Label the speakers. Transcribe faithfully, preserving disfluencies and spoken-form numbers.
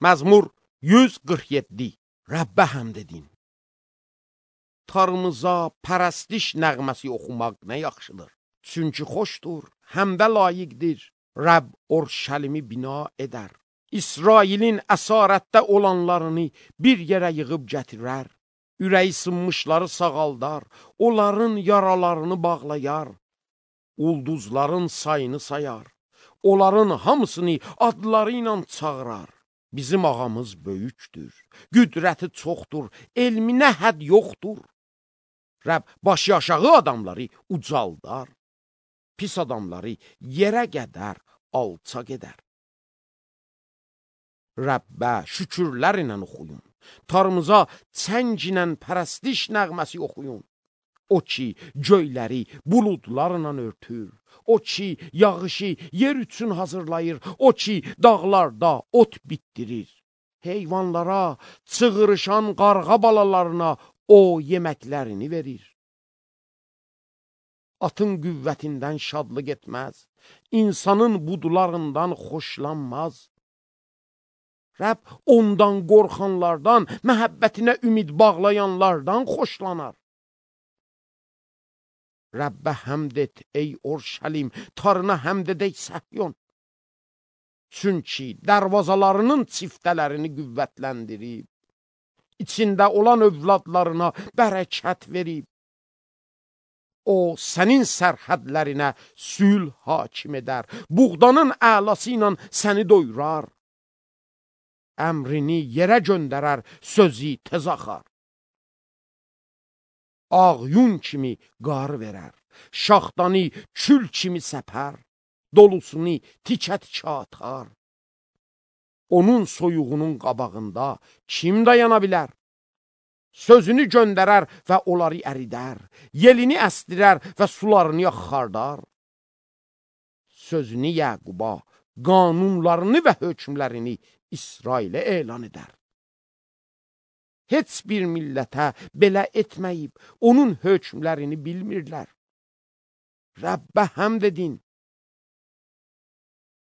Speaker 1: Məzmur yüz qırx yeddi. Rəbbə həmd edin. Tanrımıza pərəstiş nəğməsi oxumaq nə yaxşıdır. Çünki xoşdur, həm də layiqdir. Rəbb Orşəlimi bina edər. İsrailin əsarətdə olanlarını bir yerə yığıb gətirər. Ürəyi sınmışları sağaldar, onların yaralarını bağlayar. Ulduzların sayını sayar, onların hamısını adları ilə çağırar. Bizim ağamız böyükdür, qüdrəti çoxdur, elminə hədd yoxdur. Rəbb başı aşağı adamları ucaldar, pis adamları yerə qədər alçaq edər. Rəbbə şükürlər ilə oxuyun, Tanrımıza çəng ilə pərəstiş nəğməsi oxuyun. O ki, göyləri buludlarla örtür, o ki, yağışı yer üçün hazırlayır, o ki, dağlarda ot bitdirir. Heyvanlara, çığırışan qarğa balalarına o yeməklərini verir. Atın qüvvətindən şadlıq etməz, insanın budularından xoşlanmaz. Rəbb ondan qorxanlardan, məhəbbətinə ümid bağlayanlardan xoşlanar. Rəbbə həmd et, ey Orşəlim, Tanrına həmd edək Səhyon. Çünki dərvazalarının çiftələrini qüvvətləndirib, içində olan övladlarına bərəkət verib. O, sənin sərhədlərinə sülh hakim edər, buğdanın əlası ilə səni doyurar. Əmrini yerə göndərər, sözü tez axar. Ağ yun kimi qar verər, şaxtanı kül kimi səpər, dolusunu tikə-tikə atar. Onun soyuğunun qabağında kim dayana bilər? Sözünü göndərər və onları əridər, yelini əsdirər və sularını axardar. Sözünü Yəquba, qanunlarını və hökmlərini İsrailə elan edər. Heç bir millətə belə etməyib, onun hökmlərini bilmirlər. Rəbbə həmd edin,